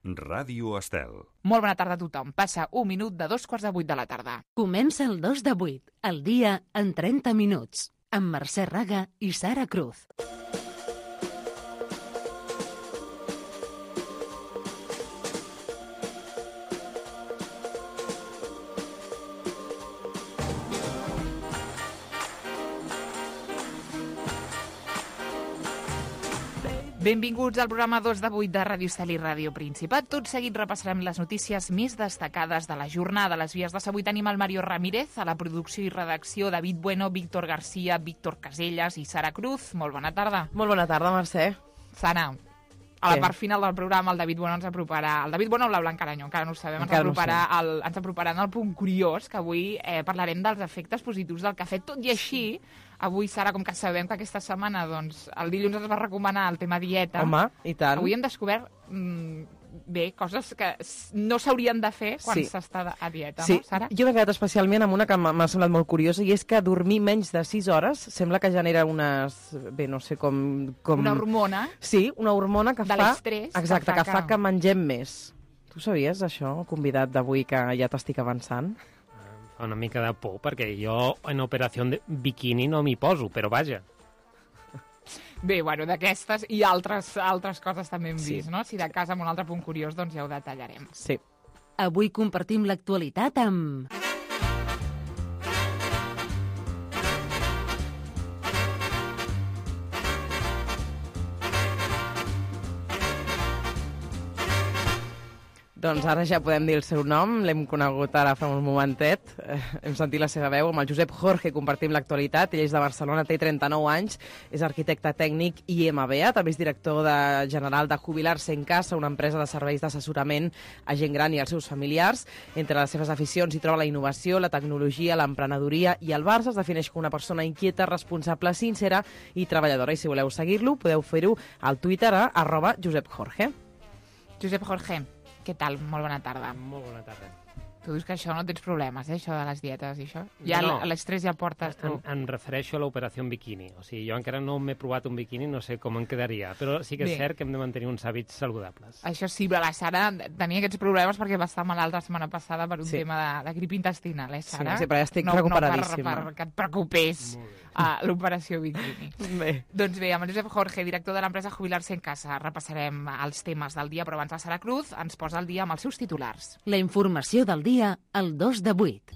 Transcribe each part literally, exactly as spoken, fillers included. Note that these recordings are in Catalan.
Ràdio Estel. Molt bona tarda a tothom. Passa un minut de dos quarts de vuit de la tarda. Comença el dos de vuit, el dia en trenta minuts, amb Mercè Raga i Sara Cruz. Benvinguts al programa dos de vuit de Ràdio Estel i Ràdio Principat. Tot seguit repassarem les notícies més destacades de la jornada. A les vies de avui tenim el Mario Ramírez, a la producció i redacció David Bueno, Víctor García, Víctor Casellas i Sara Cruz. Molt bona tarda. Molt bona tarda, Mercè. Sara, a la part final del programa el David Bueno ens aproparà... El David Bueno o la Blanca Aranyó, encara no ho sabem, ens aproparà, no el, ens aproparà en el punt curiós, que avui eh, parlarem dels efectes positius del cafè. Tot i així, avui, Sara, com que sabem que aquesta setmana, doncs, el dilluns ens va recomanar el tema dieta. Home, i tant. Avui hem descobert, mmm, bé, coses que no s'haurien de fer quan sí. s'està a dieta, sí. no, Sara? Jo m'he quedat especialment amb una que m'ha semblat molt curiosa, i és que dormir menys de sis hores sembla que genera unes... Bé, no sé com... com... Una hormona. Sí, una hormona que de fa... l'estrès. Exacte, que fa, que fa que mengem més. Tu sabies això, convidat d'avui, que ja t'estic avançant? Una mica de por, perquè jo en operació de bikini no m'hi poso, però vaja. Bé, bueno, d'aquestes i altres, altres coses també hem sí. vist, no? Si de cas amb un altre punt curiós, doncs ja ho detallarem. Sí. Avui compartim l'actualitat amb... Doncs ara ja podem dir el seu nom, l'hem conegut ara fa un momentet, eh, hem sentit la seva veu, amb el Josep Jorge compartim l'actualitat, ell és de Barcelona, té trenta-nou anys, és arquitecte tècnic i M B A, també és director de, general de Jubilar-se en Casa, una empresa de serveis d'assessorament a gent gran i als seus familiars. Entre les seves aficions hi troba la innovació, la tecnologia, l'emprenedoria i el Barça. Es defineix com una persona inquieta, responsable, sincera i treballadora. I si voleu seguir-lo, podeu fer-ho al Twitter a arroba Josep Jorge. Josep Jorge, què tal? Molt bona tarda. Molt bona tarda. Tu dius que això no tens problemes, eh? Això de les dietes i això? Ja no, no. L'estrès ja portes tu. Em, em refereixo a l'operació en biquini. O sigui, jo encara no m'he provat un biquini, no sé com en quedaria, però sí que és Bé. cert que hem de mantenir uns hàbits saludables. Això sí, però la Sara tenia aquests problemes perquè va estar malalt la setmana passada per un sí. tema de, de grip intestinal, eh, Sara? Sí, sí, però ja estic no, recuperadíssima. No per, per que et preocupés a l'operació biquini. Bé. Doncs bé, amb el Josep Jorge, director de l'empresa Jubilar-se en Casa, repassarem els temes del dia, però abans la Sara Cruz ens posa el dia amb els seus titulars. La informació del dia al dos de vuit.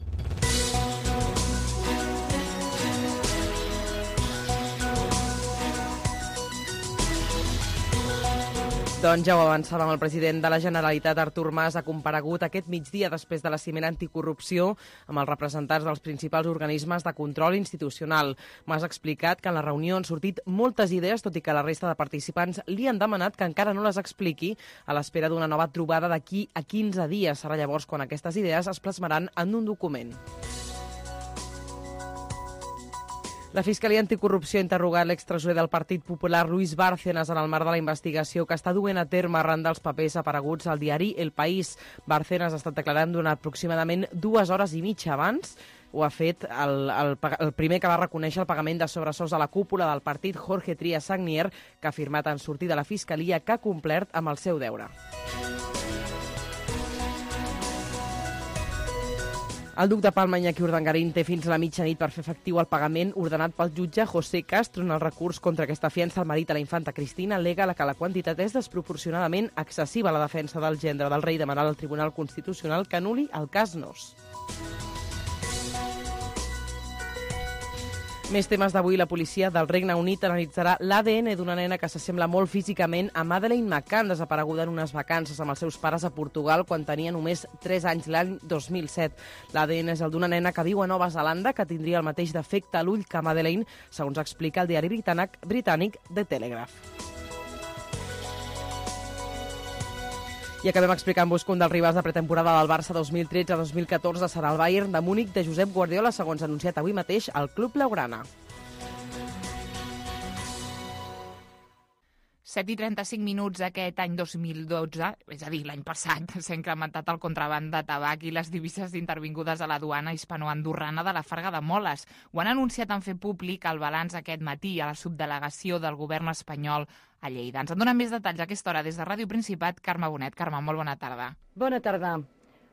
Doncs ja ho avançàvem, el president de la Generalitat, Artur Mas, ha comparegut aquest migdia després de la cimera anticorrupció amb els representants dels principals organismes de control institucional. Mas ha explicat que en la reunió han sortit moltes idees, tot i que la resta de participants li han demanat que encara no les expliqui a l'espera d'una nova trobada d'aquí a quinze dies. Serà llavors quan aquestes idees es plasmaran en un document. La Fiscalia Anticorrupció ha interrogat l'extresorer del Partit Popular, Luis Bárcenas, en el marc de la investigació que està duent a terme arran dels papers apareguts al diari El País. Bárcenas ha estat declarant durant aproximadament dues hores i mitja abans. Ho ha fet el, el, el primer que va reconèixer el pagament de sobresous a la cúpula del partit, Jorge Trias Sagnier, que ha afirmat en sortir de la Fiscalia que ha complert amb el seu deure. El duc de Palma, Iñaki Urdangarín, té fins a la mitjanit per fer efectiu el pagament ordenat pel jutge José Castro en el recurs contra aquesta fiança. El marit de la infanta Cristina al·lega que la quantitat és desproporcionadament excessiva. La defensa del gendre del rei demanarà al Tribunal Constitucional que anul·li el cas Nos. Més temes d'avui. La policia del Regne Unit analitzarà l'A D N d'una nena que s'assembla molt físicament a Madeleine McCann, desapareguda en unes vacances amb els seus pares a Portugal quan tenia només tres anys, l'any dos mil set. L'A D N és el d'una nena que viu a Nova Zelanda, que tindria el mateix defecte a l'ull que Madeleine, segons explica el diari britànic, britànic The Telegraph. I acabem explicant-vos que un dels rivals de pretemporada del Barça dos mil tretze dos mil catorze serà el Bayern de Múnich de Josep Guardiola, segons anunciat avui mateix al Club Blaugrana. set i trenta-cinc minuts aquest any dos mil dotze, és a dir, l'any passat, s'ha incrementat el contraban de tabac i les divises intervingudes a la duana hispanoandorrana de la Farga de Moles. Ho han anunciat en fer públic el balanç aquest matí a la subdelegació del govern espanyol a Lleida. Ens en donen més detalls a aquesta hora des de Ràdio Principat, Carme Bonet. Carme, molt bona tarda. Bona tarda.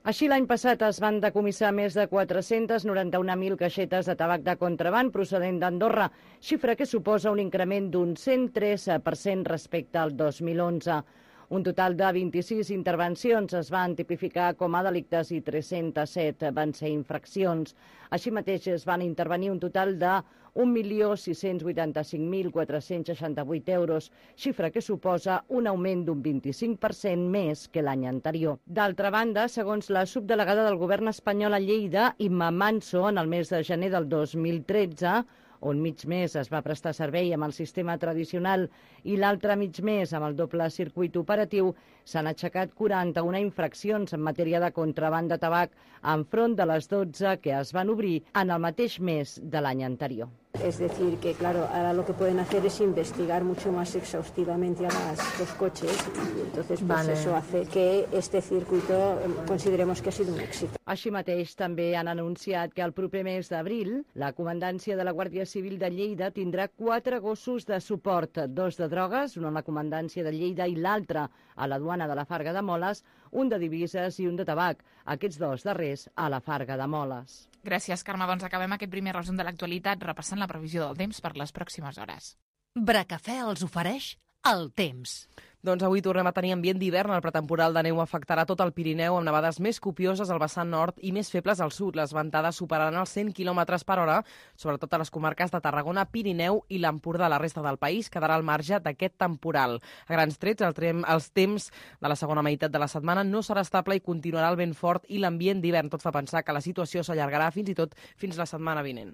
Així, l'any passat es van decomissar més de quatre-cents noranta-un mil caixetes de tabac de contraban procedent d'Andorra, xifra que suposa un increment d'un cent tres per cent respecte al dos mil onze. Un total de vint-i-sis intervencions es van tipificar com a delictes i tres-cents set van ser infraccions. Així mateix es van intervenir un total de un milió sis-cents vuitanta-cinc mil quatre-cents seixanta-vuit euros, xifra que suposa un augment d'un vint-i-cinc per cent més que l'any anterior. D'altra banda, segons la subdelegada del govern espanyol a Lleida, Imma Manso, en el mes de gener del dos mil tretze, on mig mes es va prestar servei amb el sistema tradicional i l'altre mig mes amb el doble circuit operatiu, s'han aixecat quaranta-una infraccions en matèria de contraban de tabac enfront de les dotze que es van obrir en el mateix mes de l'any anterior. Es decir, que claro, ahora lo que pueden hacer es investigar mucho más exhaustivamente a las, los coches y entonces pues vale. Eso hace que este circuito consideremos que ha sido un èxit. Així mateix també han anunciat que el proper mes d'abril la Comandància de la Guàrdia Civil de Lleida tindrà quatre gossos de suport, dos de drogues, un a la Comandància de Lleida i l'altre a la duana de la Farga de Moles, un de divises i un de tabac, aquests dos darrers a la Farga de Moles. Gràcies, Carme. Doncs acabem aquest primer resum de l'actualitat repassant la previsió del temps per les pròximes hores. Bracafè els ofereix el temps. Doncs avui tornem a tenir ambient d'hivern. El pretemporal de neu afectarà tot el Pirineu amb nevades més copioses al vessant nord i més febles al sud. Les ventades superaran els cent quilòmetres per hora, sobretot a les comarques de Tarragona, Pirineu i l'Empordà. La resta del país quedarà al marge d'aquest temporal. A grans trets, el trem, els temps de la segona meitat de la setmana no serà estable i continuarà el vent fort i l'ambient d'hivern. Tot fa pensar que la situació s'allargarà fins i tot fins la setmana vinent.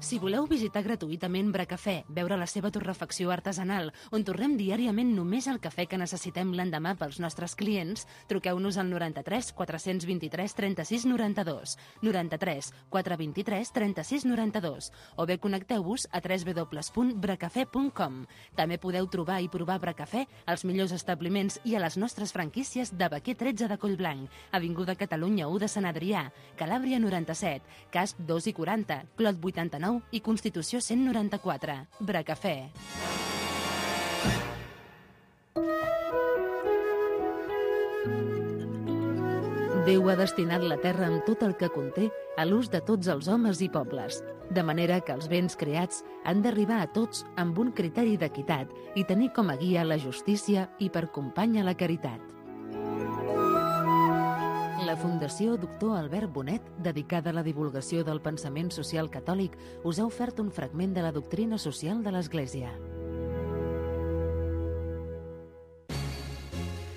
Si voleu visitar gratuïtament Bracafè, veure la seva torrefacció artesanal, on torrem diàriament només el cafè que necessitem l'endemà pels nostres clients, truqueu-nos al noranta-tres quatre-cents vint-i-tres trenta-sis noranta-dos, noranta-tres quatre vint-i-tres trenta-sis noranta-dos, o bé connecteu-vos a w w w punt bracafè punt com. També podeu trobar i provar Bracafè als millors establiments i a les nostres franquícies de Baquer tretze de Collblanc, Avinguda Catalunya u de Sant Adrià, Calàbria noranta-set, Casp dos i quaranta, Clot vuitanta-nou i Constitució cent noranta-quatre. Bracafè. Déu ha destinat la terra amb tot el que conté a l'ús de tots els homes i pobles, de manera que els béns creats han d'arribar a tots amb un criteri d'equitat i tenir com a guia la justícia i per companya la caritat. La Fundació Doctor Albert Bonet, dedicada a la divulgació del pensament social catòlic, us ha ofert un fragment de la doctrina social de l'Església.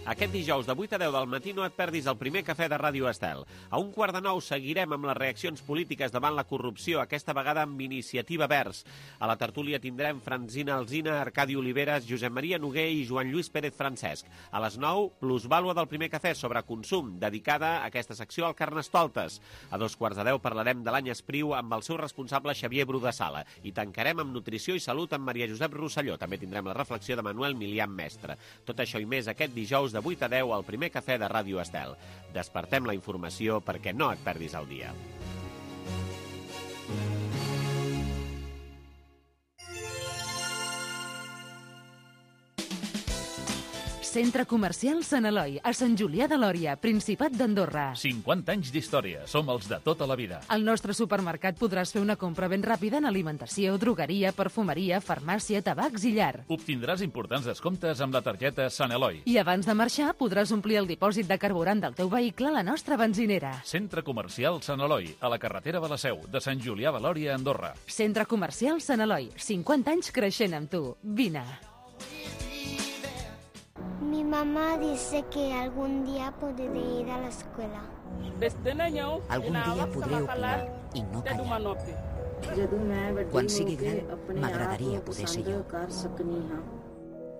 Aquest dijous de vuit a deu del matí no et perdis el primer cafè de Ràdio Estel. A un quart de nou seguirem amb les reaccions polítiques davant la corrupció, aquesta vegada amb Iniciativa Verds. A la tertúlia tindrem Franzina Alsina, Arcadi Oliveres, Josep Maria Noguer i Joan Lluís Pérez Francesc. A les nou, plusvàlua del primer cafè sobre consum, dedicada a aquesta secció al Carnestoltes. A dos quarts de deu parlarem de l'any Espriu amb el seu responsable Xavier Bru de Sala. I tancarem amb Nutrició i Salut amb Maria Josep Rosselló. També tindrem la reflexió de Manuel Milian Mestre. Tot això i més aquest dijous de vuit a deu al primer cafè de Ràdio Estel. Despertem la informació perquè no et perdis el dia. Centre Comercial Sant Eloi, a Sant Julià de Lòria, Principat d'Andorra. cinquanta anys d'història. Som els de tota la vida. Al nostre supermercat podràs fer una compra ben ràpida en alimentació, drogueria, perfumeria, farmàcia, tabacs i llar. Obtindràs importants descomptes amb la targeta Sant Eloi. I abans de marxar podràs omplir el dipòsit de carburant del teu vehicle a la nostra benzinera. Centre Comercial Sant Eloi, a la carretera de la Seu, de Sant Julià de Lòria, Andorra. Centre Comercial Sant Eloi, cinquanta anys creixent amb tu. Vine. Mi mamá dice que algún día podré ir a la escuela. Algun dia podré opinar i no callar. Quan sigui gran, m'agradaria poder ser jo.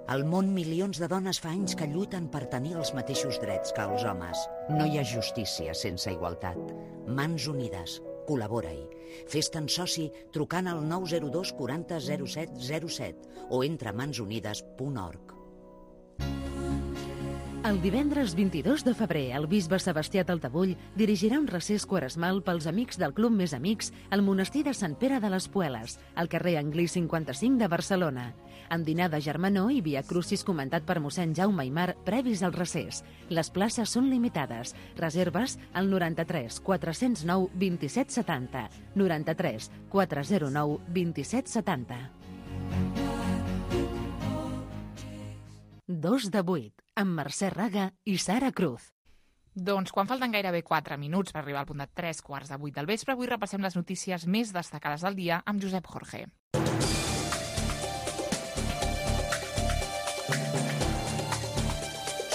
Al món, milions de dones fa anys que lluiten per tenir els mateixos drets que els homes. No hi ha justícia sense igualtat. Mans unides, Col·labora-hi. Fes-te'n soci trucant al nou zero dos quaranta zero set zero set o entra a mans unides punt org. El divendres vint-i-dos de febrer, el bisbe Sebastià Taltabull dirigirà un recés quaresmal pels amics del Club Més Amics al monestir de Sant Pere de les Pueles, al carrer Anglí cinquanta-cinc de Barcelona. Amb dinar de germanor i via crucis comentat per mossèn Jaume Aymar previs al recés. Les places són limitades. Reserves al noranta-tres quatre zero nou vint-i-set setanta. noranta-tres quatre zero nou vint-i-set setanta. Dos de vuit, amb Mercè Raga i Sara Cruz. Doncs quan falten gairebé quatre minuts per arribar al punt de tres quarts de vuit del vespre, avui repassem les notícies més destacades del dia amb Josep Jorge.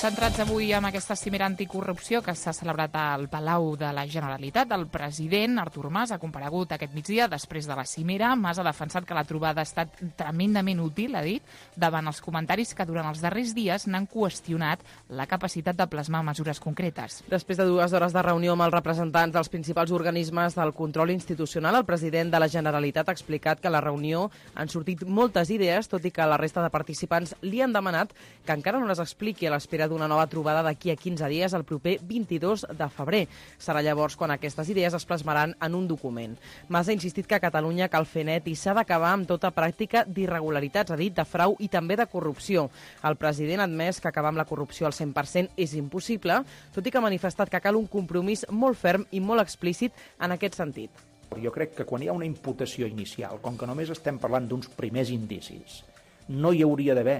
Centrats avui en aquesta cimera anticorrupció que s'ha celebrat al Palau de la Generalitat, el president Artur Mas ha comparegut aquest migdia després de la cimera. Mas ha defensat que la trobada ha estat tremendament útil, ha dit, davant els comentaris que durant els darrers dies n'han qüestionat la capacitat de plasmar mesures concretes. Després de dues hores de reunió amb els representants dels principals organismes del control institucional, el president de la Generalitat ha explicat que a la reunió han sortit moltes idees, tot i que la resta de participants li han demanat que encara no les expliqui a l'espera d'una nova trobada d'aquí a quinze dies, el proper vint-i-dos de febrer. Serà llavors quan aquestes idees es plasmaran en un document. Mas ha insistit que a Catalunya cal fer net i s'ha d'acabar amb tota pràctica d'irregularitats, ha dit, de frau i també de corrupció. El president ha admès que acabar amb la corrupció al cent per cent és impossible, tot i que ha manifestat que cal un compromís molt ferm i molt explícit en aquest sentit. Jo crec que quan hi ha una imputació inicial, com que només estem parlant d'uns primers indicis, no hi hauria d'haver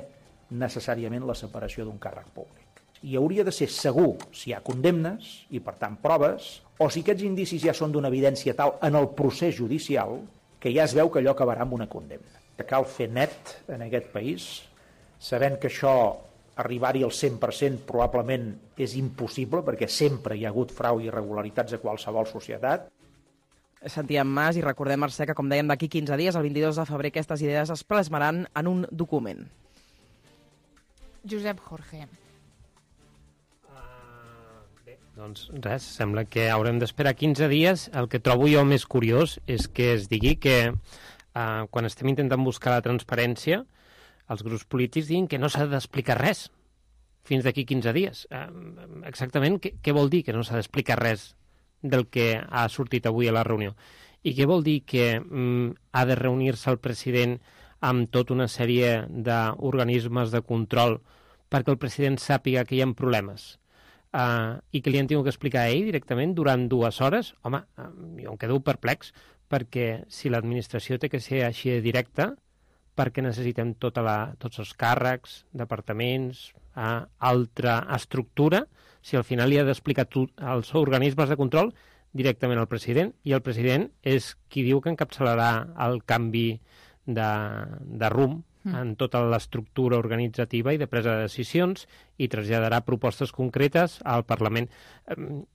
necessàriament la separació d'un càrrec públic. Hi hauria de ser segur si hi ha condemnes i, per tant, proves, o si aquests indicis ja són d'una evidència tal en el procés judicial que ja es veu que allò acabarà amb una condemna. Cal fer net en aquest país, sabent que això, arribar-hi al cent per cent probablement és impossible, perquè sempre hi ha hagut frau i irregularitats a qualsevol societat. Sentíem Mas i recordem, Mercè, que com dèiem d'aquí quinze dies, el vint-i-dos de febrer, aquestes idees es plasmaran en un document. Josep Jorge. Doncs res, sembla que haurem d'esperar quinze dies. El que trobo jo més curiós és que es digui que eh, quan estem intentant buscar la transparència, els grups polítics diuen que no s'ha d'explicar res fins d'aquí quinze dies. Eh, exactament, què, què vol dir que no s'ha d'explicar res del que ha sortit avui a la reunió? I què vol dir que mm, ha de reunir-se el president amb tota una sèrie d'organismes de control perquè el president sàpiga que hi ha problemes? Uh, i que li han tingut que explicar a ell directament durant dues hores? Home, uh, jo em quedo perplex, perquè si l'administració té que ser així de directa, perquè necessitem tota la, tots els càrrecs, departaments, uh, altra estructura, si al final li ha d'explicar als organismes de control directament al president, i el president és qui diu que encapçalarà el canvi de, de rumb en tota l'estructura organitzativa i de presa de decisions i traslladarà propostes concretes al Parlament.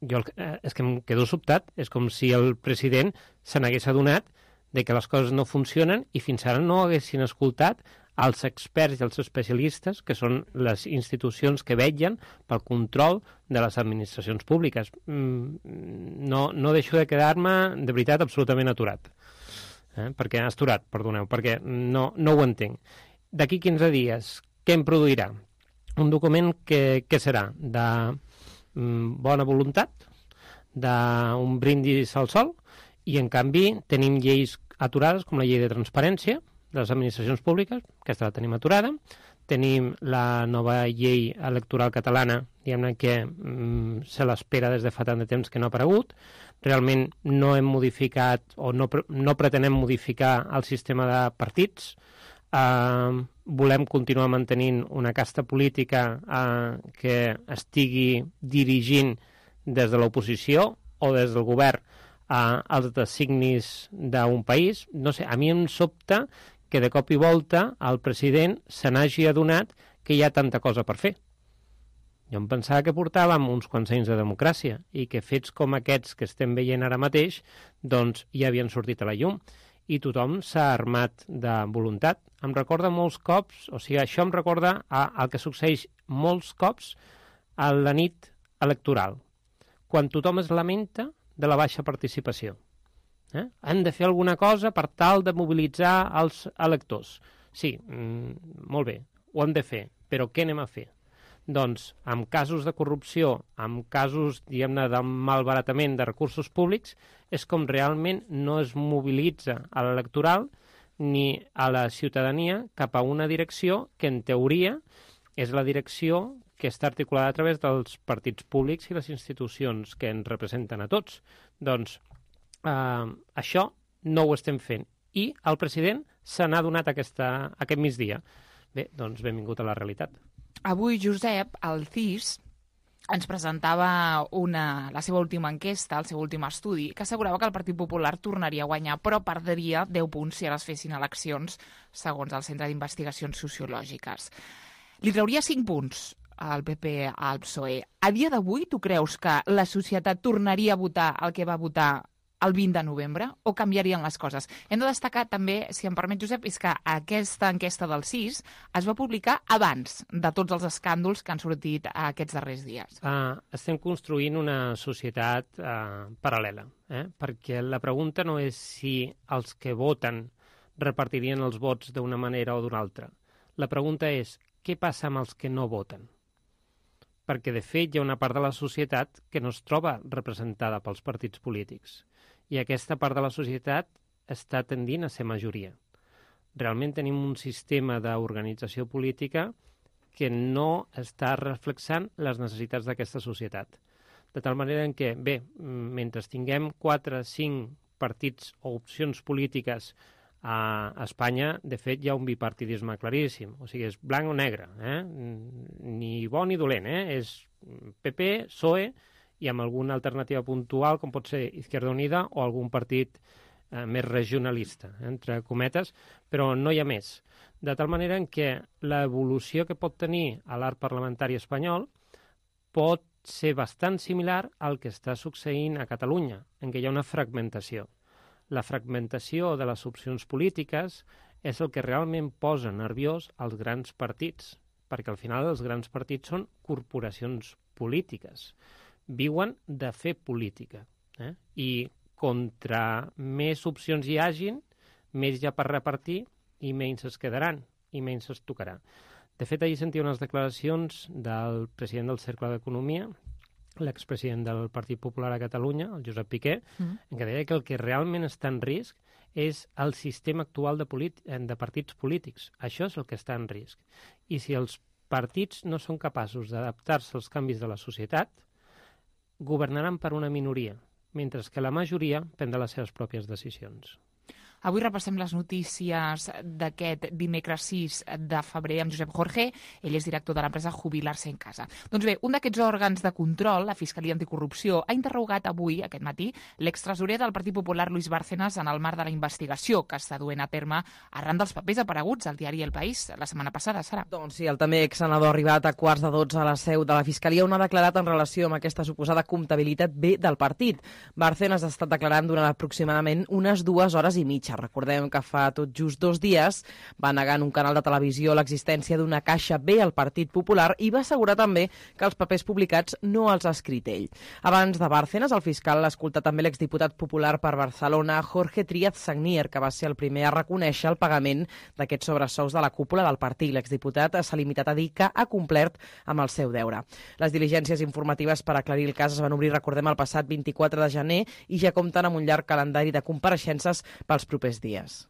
Jo és que em quedo sobtat, és com si el president se n'hagués adonat de que les coses no funcionen i fins ara no haguessin escoltat els experts i els especialistes, que són les institucions que vetllen pel control de les administracions públiques. No, no deixo de quedar-me, de veritat, absolutament aturat. Eh? Perquè asturat, perdoneu, perquè no, no ho entenc. D'aquí quinze dies, què em produirà? Un document que, que serà de mm, bona voluntat, d'un brindis al sol, i en canvi tenim lleis aturades com la llei de transparència de les administracions públiques, aquesta la tenim aturada, tenim la nova llei electoral catalana, diguem-ne que mm, se l'espera des de fa tant de temps que no ha aparegut. Realment no hem modificat o no, no pretenem modificar el sistema de partits. Uh, volem continuar mantenint una casta política uh, que estigui dirigint des de l'oposició o des del govern uh, els designis d'un país. No sé, a mi em sobta que de cop i volta el president se n'hagi adonat que hi ha tanta cosa per fer. Jo em pensava que portàvem uns quants anys de democràcia i que fets com aquests que estem veient ara mateix doncs ja havien sortit a la llum i tothom s'ha armat de voluntat. Em recorda molts cops, o sigui, això em recorda el que succeeix molts cops a la nit electoral, quan tothom es lamenta de la baixa participació. Eh? Han de fer alguna cosa per tal de mobilitzar els electors. Sí, mm, molt bé, ho hem de fer, però què anem a fer? Doncs, amb casos de corrupció, amb casos, diguem-ne, de malbaratament de recursos públics, és com realment no es mobilitza a l'electoral ni a la ciutadania cap a una direcció que, en teoria, és la direcció que està articulada a través dels partits públics i les institucions que ens representen a tots. Doncs eh, això no ho estem fent. I el president se n'ha donat aquesta, aquest migdia. Bé, doncs benvingut a la realitat. Avui, Josep, el C I S ens presentava una, la seva última enquesta, el seu últim estudi, que assegurava que el Partit Popular tornaria a guanyar, però perdria deu punts si ara es fessin eleccions, segons el Centre d'Investigacions Sociològiques. Li trauria cinc punts al P P al P S O E. A dia d'avui, tu creus que la societat tornaria a votar el que va votar el vint de novembre, o canviarien les coses? Hem de destacar també, si em permet, Josep, és que aquesta enquesta del C I S es va publicar abans de tots els escàndols que han sortit aquests darrers dies. Uh, estem construint una societat uh, paral·lela, eh? Perquè la pregunta no és si els que voten repartirien els vots d'una manera o d'una altra. La pregunta és què passa amb els que no voten? Perquè, de fet, hi ha una part de la societat que no es troba representada pels partits polítics. I aquesta part de la societat està tendint a ser majoria. Realment tenim un sistema d'organització política que no està reflexant les necessitats d'aquesta societat. De tal manera en què, bé, mentre tinguem quatre, cinc partits o opcions polítiques a Espanya, de fet, hi ha un bipartidisme claríssim. O sigui, és blanc o negre, eh? Ni bo ni dolent, eh? És P P, P S O E, i amb alguna alternativa puntual, com pot ser Izquierda Unida o algun partit eh, més regionalista, eh, entre cometes, però no hi ha més. De tal manera en què l'evolució que pot tenir a l'art parlamentari espanyol pot ser bastant similar al que està succeint a Catalunya, en què hi ha una fragmentació. La fragmentació de les opcions polítiques és el que realment posa nerviós als grans partits, perquè al final els grans partits són corporacions polítiques. Viuen de fer política. Eh? I contra més opcions hi hagin, més hi ha per repartir i menys es quedaran i menys es tocarà. De fet, ahir sentia unes declaracions del president del Cercle d'Economia, l'expresident del Partit Popular a Catalunya, el Josep Piqué, mm. en què deia que el que realment està en risc és el sistema actual de, de partits polítics. Això és el que està en risc. I si els partits no són capaços d'adaptar-se als canvis de la societat, governaran per una minoria, mentre que la majoria prendrà les seves pròpies decisions. Avui repassem les notícies d'aquest dimecres sis de febrer amb Josep Jorge. Ell és director de l'empresa Jubilar-se en Casa. Doncs bé, un d'aquests òrgans de control, la Fiscalia Anticorrupció, ha interrogat avui, aquest matí, l'extresorer del Partit Popular, Luis Bárcenas, en el marc de la investigació que està duent a terme arran dels papers apareguts al diari El País la setmana passada, Sara. Doncs sí, el també exsenador ha arribat a quarts de dotze a la seu de la Fiscalia on ha declarat en relació amb aquesta suposada comptabilitat B del partit. Bárcenas ha estat declarant durant aproximadament unes dues hores i mitja. Recordem que fa tot just dos dies va negar en un canal de televisió l'existència d'una caixa B al Partit Popular i va assegurar també que els papers publicats no els ha escrit ell. Abans de Bárcenas, el fiscal l'ha escoltat també l'exdiputat popular per Barcelona, Jorge Tríaz Sagnier, que va ser el primer a reconèixer el pagament d'aquests sobresous de la cúpula del partit. L'exdiputat s'ha limitat a dir que ha complert amb el seu deure. Les diligències informatives per aclarir el cas es van obrir, recordem, el passat vint-i-quatre de gener i ja compten amb un llarg calendari de compareixences pels propers dies.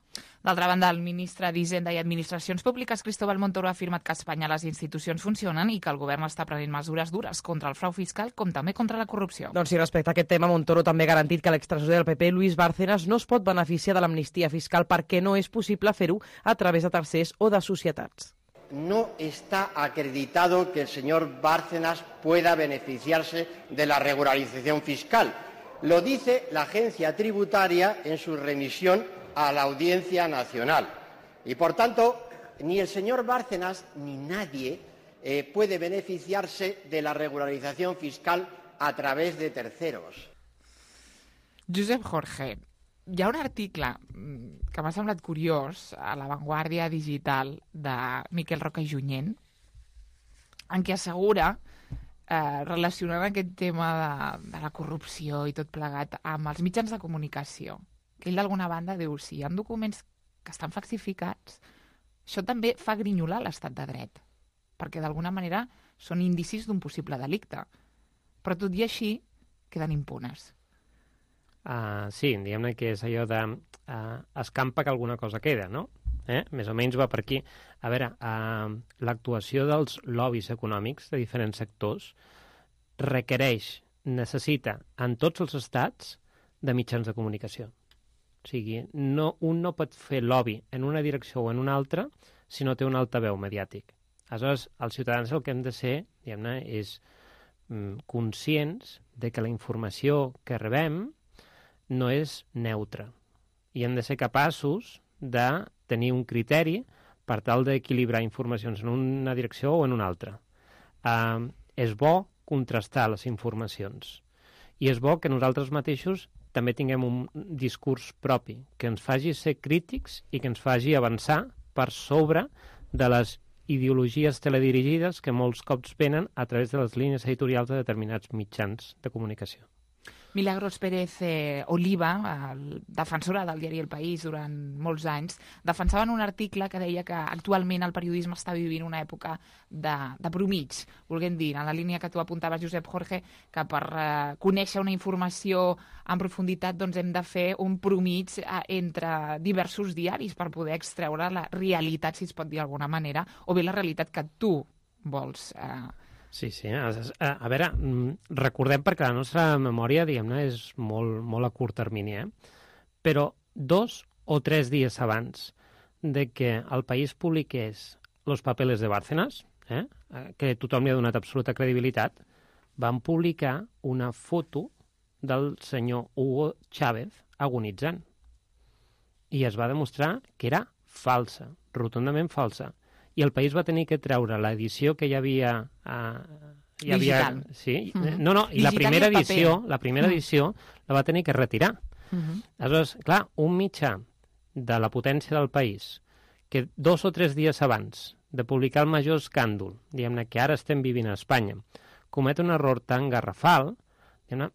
D'altra banda, el ministre d'Hisenda i Administracions Públiques, Cristóbal Montoro, ha afirmat que a Espanya les institucions funcionen i que el govern està prenent mesures dures contra el frau fiscal com també contra la corrupció. Doncs sí, respecte a aquest tema, Montoro també ha garantit que l'extresorer del P P, Luis Bárcenas, no es pot beneficiar de l'amnistia fiscal perquè no és possible fer-ho a través de tercers o de societats. No está acreditado que el señor Bárcenas pueda beneficiarse de la regularización fiscal. Lo dice la agencia tributaria en su remisión a la Audiencia Nacional. Y, por tanto, ni el señor Bárcenas ni nadie eh, puede beneficiarse de la regularización fiscal a través de terceros. Josep Jorge, hi ha un article que m'ha semblat curiós a La Vanguardia Digital de Miquel Roca i Junyent, en què assegura, eh, relacionant aquest tema de, de la corrupció i tot plegat amb els mitjans de comunicació, que ell d'alguna banda diu, si hi ha documents que estan falsificats, això també fa grinyolar l'estat de dret, perquè d'alguna manera són indicis d'un possible delicte. Però tot i així, queden impunes. Uh, sí, diguem-ne que és allò de uh, escampa que alguna cosa queda, no? Eh? Més o menys va per aquí. A veure, uh, l'actuació dels lobbies econòmics de diferents sectors requereix, necessita, en tots els estats, de mitjans de comunicació. O sigui, no, un no pot fer lobby en una direcció o en una altra si no té un altaveu mediàtic. Aleshores, els ciutadans el que hem de ser, diguem-ne, és mm, conscients de que la informació que rebem no és neutra. I hem de ser capaços de tenir un criteri per tal d'equilibrar informacions en una direcció o en una altra. Uh, és bo contrastar les informacions. I és bo que nosaltres mateixos també tinguem un discurs propi, que ens faci ser crítics i que ens faci avançar per sobre de les ideologies teledirigides que molts cops venen a través de les línies editorials de determinats mitjans de comunicació. Milagros Pérez eh, Oliva, el defensora del diari El País durant molts anys, defensava en un article que deia que actualment el periodisme està vivint una època de, de promig, volguem dir, en la línia que tu apuntaves, Josep Jorge, que per eh, conèixer una informació en profunditat doncs hem de fer un promig eh, entre diversos diaris per poder extreure la realitat, si es pot dir d'alguna manera, o bé la realitat que tu vols eh, Sí, sí. A, a, a veure, recordem perquè la nostra memòria, diguem-ne, és molt, molt a curt termini, eh? Però dos o tres dies abans de que el País publiqués Los papeles de Bárcenas, eh? que tothom li ha donat absoluta credibilitat, van publicar una foto del senyor Hugo Chávez agonitzant. I es va demostrar que era falsa, rotundament falsa. I el País va tenir que treure l'edició que hi havia... Uh, hi havia digital. Sí, Mm-hmm. no, no, i digital la primera i paper. edició, la primera Mm. edició la va tenir que retirar. Mm-hmm. Aleshores, clar, un mitjà de la potència del País que dos o tres dies abans de publicar el major escàndol, diguem-ne, que ara estem vivint a Espanya, comet un error tan garrafal, diguem-ne,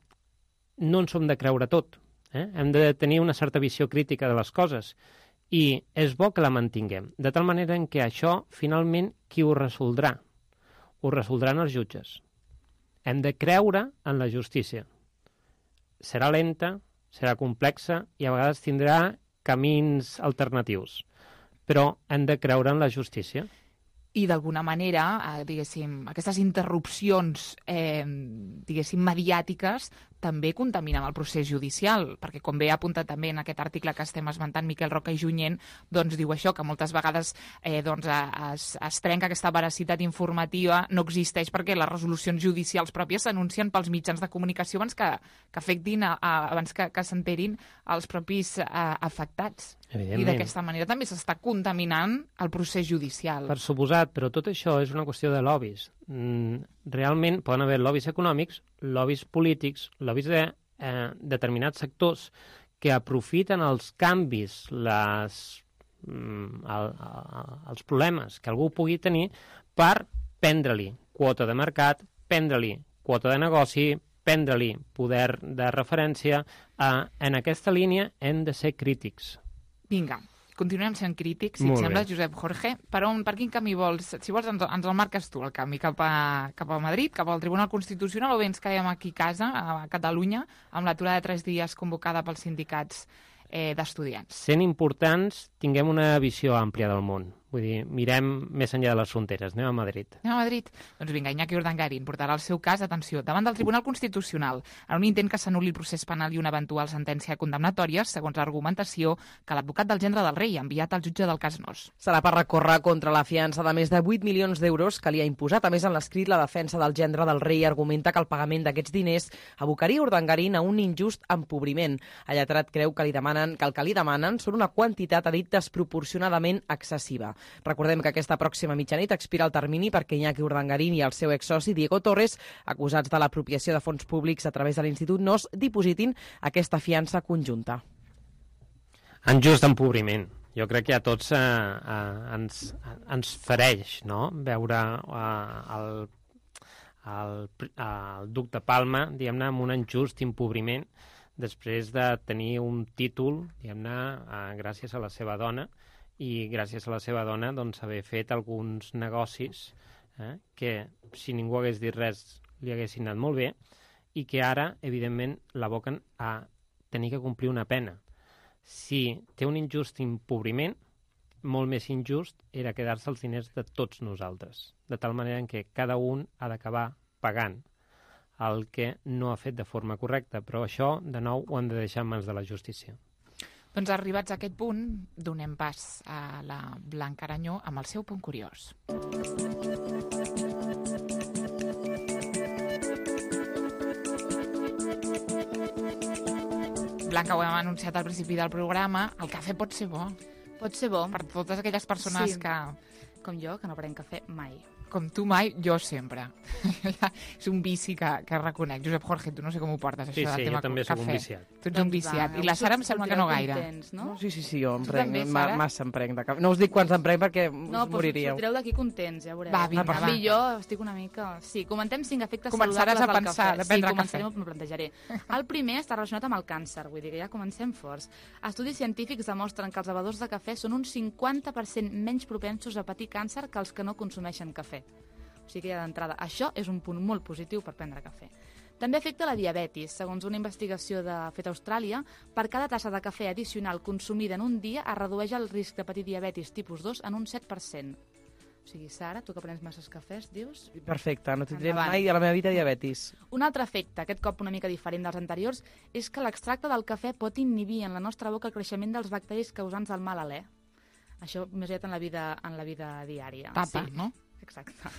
no en som de creure tot. Eh? Hem de tenir una certa visió crítica de les coses. I és bo que la mantinguem, de tal manera en què això, finalment, qui ho resoldrà? Ho resoldran els jutges. Hem de creure en la justícia. Serà lenta, serà complexa i a vegades tindrà camins alternatius, però hem de creure en la justícia. I d'alguna manera, eh, diguéssim, aquestes interrupcions eh, diguéssim, mediàtiques també contaminen el procés judicial, perquè com bé ha apuntat també en aquest article que estem esmentant Miquel Roca i Junyent, doncs diu això, que moltes vegades eh, doncs, es, es trenca aquesta veracitat informativa, no existeix perquè les resolucions judicials pròpies s'anuncien pels mitjans de comunicació abans que, que afectin, a, a, abans que, que s'enterin els propis a, afectats. I d'aquesta manera també s'està contaminant el procés judicial. Per suposat, però tot això és una qüestió de lobbies. Mm, realment poden haver lobbies econòmics, lobbies polítics, lobbies de eh, determinats sectors que aprofiten els canvis, les, mm, el, el, els problemes que algú pugui tenir per prendre-li quota de mercat, prendre-li quota de negoci, prendre-li poder de referència. Eh, en aquesta línia hem de ser crítics. Vinga, continuem sent crítics, si et sembla, Josep Jorge. Per, on, per quin camí vols? Si vols, ens, ens el marques tu, el camí cap a, cap a Madrid, cap al Tribunal Constitucional, o bé ens quedem aquí a casa, a Catalunya, amb l'aturada de tres dies convocada pels sindicats eh, d'estudiants. Sent importants, tinguem una visió àmplia del món. Vull dir, mirem més enllà de les fronteres. Anem a Madrid. Anem a Madrid? Doncs vinga, Iñaki Urdangarín portarà el seu cas, atenció, davant del Tribunal Constitucional, en un intent que s'anul·li el procés penal i una eventual sentència condemnatòria, segons l'argumentació que l'advocat del gendre del rei ha enviat al jutge del cas Nos. Serà per recórrer contra la fiança de més de vuit milions d'euros que li ha imposat. A més, en l'escrit, la defensa del gendre del rei argumenta que el pagament d'aquests diners abocaria Urdangarín a un injust empobriment. El lletrat creu que, li demanen, que el que li demanen són una quantitat, ha dit, desproporcionadament excessiva. Recordem que aquesta pròxima mitjanit expira el termini perquè Iñaki Urdangarín i el seu exsoci Diego Torres, acusats de l'apropiació de fons públics a través de l'Institut Nos, dipositin aquesta fiança conjunta. En just empobriment. Jo crec que a tots eh, eh, ens, ens fereix, no?, veure eh, el, el, el duc de Palma, diguem-ne, amb un injust empobriment després de tenir un títol, diguem-ne, eh, gràcies a la seva dona, i gràcies a la seva dona doncs, haver fet alguns negocis eh, que, si ningú hagués dit res, li haguessin anat molt bé, i que ara, evidentment, l'aboquen a tenir que complir una pena. Si té un injust empobriment, molt més injust era quedar-se els diners de tots nosaltres, de tal manera en què cada un ha d'acabar pagant el que no ha fet de forma correcta, però això, de nou, ho han de deixar en mans de la justícia. Doncs arribats a aquest punt, donem pas a la Blanca Aranyó amb el seu punt curiós. Blanca, ho hem anunciat al principi del programa, el cafè pot ser bo. Pot ser bo. Per totes aquelles persones sí. que... Com jo, que no prenc cafè mai. Com tu mai, jo sempre. És un vici que, que reconec. Josep Jorge, tu no sé com ho portes, sí, això sí, del tema jo també cafè. soc un viciat. Tu ets doncs un viciat. Va, I la Sara em sembla que no gaire. Contents, no? No, sí, sí, sí, jo em tu prenc, també, ma, massa em prenc de cafè. No us dic quants em prenc perquè no, us moriríeu. No, sortireu d'aquí contents, ja veureu. Va, vinga, va. I jo estic una mica... Sí, comentem cinc efectes Començaràs saludables a pensar, del cafè. Sí, començarem, m'ho plantejaré. El primer està relacionat amb el càncer, vull dir que ja comencem forts. Estudis científics demostren que els bevedors de cafè són un cinquanta per cent menys propensos a patir càncer que els que no consumeixen cafè. O sigui que ja d'entrada, això és un punt molt positiu per prendre cafè. També afecta la diabetis. Segons una investigació de feta a Austràlia, per cada tassa de cafè addicional consumida en un dia es redueix el risc de patir diabetis tipus dos en un set per cent. O sigui, Sara, tu que prens masses cafès, dius... Perfecte, no tindré mai a la meva vida diabetis. Un altre efecte, aquest cop una mica diferent dels anteriors, és que l'extracte del cafè pot inhibir en la nostra boca el creixement dels bacteris causants del mal alè. Això més aviat en la vida, en la vida diària. Tapa, sí. no? Exacte.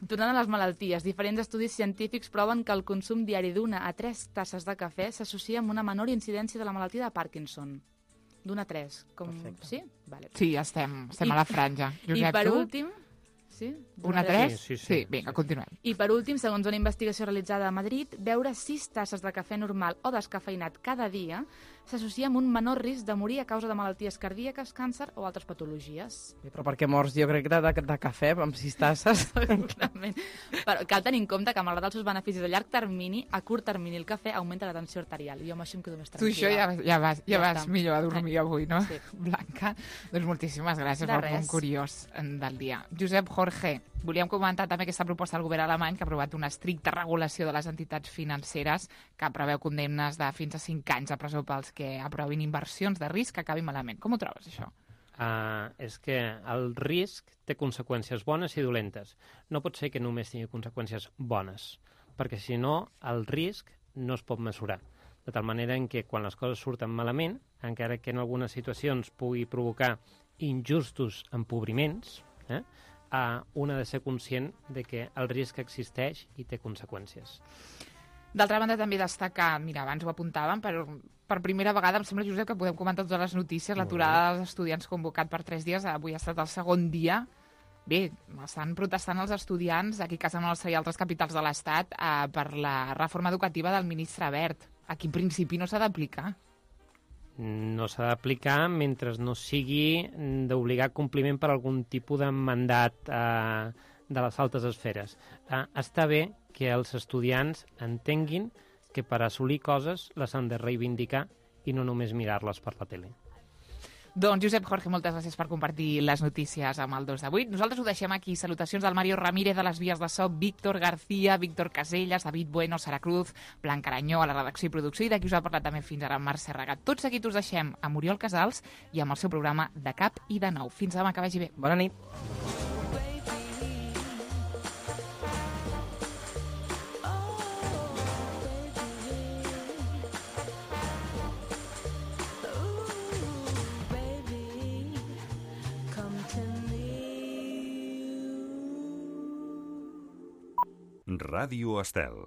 Tornant a les malalties, diferents estudis científics proven que el consum diari d'una a tres tasses de cafè s'associa amb una menor incidència de la malaltia de Parkinson. D'una a tres. Com... Sí? Vale. Sí, estem, estem I... a la franja. Josep, I per tu? últim... Sí? Una a tres? Sí, sí, sí. Sí, vinga, continuem. I per últim, segons una investigació realitzada a Madrid, beure sis tasses de cafè normal o descafeïnat cada dia s'associa amb un menor risc de morir a causa de malalties cardíaques, càncer o altres patologies. Però per què mors, jo crec, de, de, de cafè amb sis tasses? Segurament. Però cal tenir en compte que, malgrat els seus beneficis a llarg termini, a curt termini el cafè augmenta la tensió arterial. I jo amb això em quedo més tranquil·la. Tu això ja, ja vas, ja ja vas millor a dormir avui, no? Sí. Blanca, doncs moltíssimes gràcies de pel res. punt curiós del dia. Josep Jorge, volíem comentar també aquesta proposta del govern alemany que ha aprovat una estricta regulació de les entitats financeres que preveu condemnes de fins a cinc anys a presó pels que aprovin inversions de risc que acabin malament. Com ho trobes, això? Uh, és que el risc té conseqüències bones i dolentes. No pot ser que només tingui conseqüències bones, perquè si no, el risc no es pot mesurar. De tal manera en què quan les coses surten malament, encara que en algunes situacions pugui provocar injustos empobriments, eh, uh, un ha de ser conscient de que el risc existeix i té conseqüències. D'altra banda, també destacar, mira, abans ho apuntàvem, per, per primera vegada, em sembla, Josep, que podem comentar totes les notícies, l'aturada dels estudiants convocat per tres dies, avui ha estat el segon dia. Bé, estan protestant els estudiants aquí a casa nostra i altres capitals de l'Estat eh, per la reforma educativa del ministre Wert. Aquí, en principi, no s'ha d'aplicar. No s'ha d'aplicar mentre no sigui d'obligar compliment per algun tipus de mandat eh, de les altes esferes. Eh, està bé que els estudiants entenguin que per assolir coses les han de reivindicar i no només mirar-les per la tele. Doncs, Josep Jorge, moltes gràcies per compartir les notícies amb el dos de vuit. Nosaltres ho deixem aquí. Salutacions del Mario Ramírez de les vies de so, Víctor García, Víctor Casellas, David Bueno, Sara Cruz, Blanca Aranyó a la redacció i producció, i d'aquí us ha parlat també fins ara Marc Serragat. Tots seguits us deixem amb Oriol Casals i amb el seu programa De Cap i de Nou. Fins demà, que vagi bé. Bona nit. Ràdio Estel.